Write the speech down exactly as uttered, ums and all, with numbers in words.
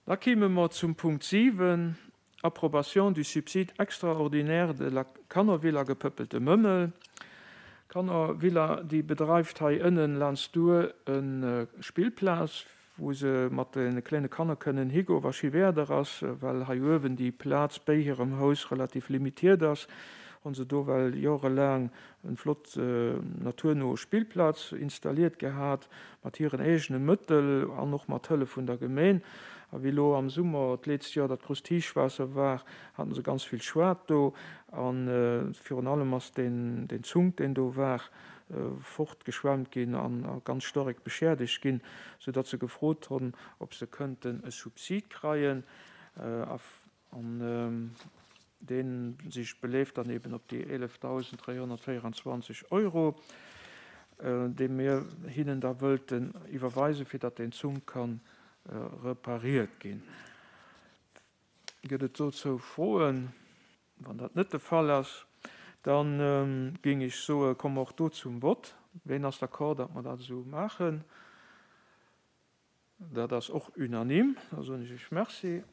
Da kéime mer zum Punkt siwen, Approbation du subside extraordinaire de la Kannervilla Gepëppelte Mëmmel. D'Kannervilla, déi bedreift hei ënnen laanscht d'Our e Spillplaz, wou se mat de klenge Kanner kënnen higoen, wa schi Wieder ass, well hei uewen déi Plaz béi hirem Haus relativ limitiert ass, hu se do well jorelaang en flott naturno Spillplaz installiert gehat, mat hiren eegene Mëttel an och mat Hëllef vun der Gemeen. A wéi lo am Summer d'letzte Joer dat grousst Héichwaasser war, haten se ganz vill Schued do a virun allem ass deen deen Zunk, deen do war, fortgeschwemmt ginn an ganz staark beschiedegt ginn, soudatt se gefrot hunn, ob se kënnten e Subsid kreien. An dee sech beleeft dann eben op déi eelefdausend dräihonnertvéierenzwanzeg Euro, déi mir hinnen da wëllten iwwerweisen, fir datt deen Zunk kann repariert ginn. Gëtt et dozou Froen? Wann dat net de Fall ass, da géing ech soen, komme mer och do zum Vott. Ween ass d'accord, datt mer dat esou maachen? Dat ass och unanime. Da soen ech Iech Merci.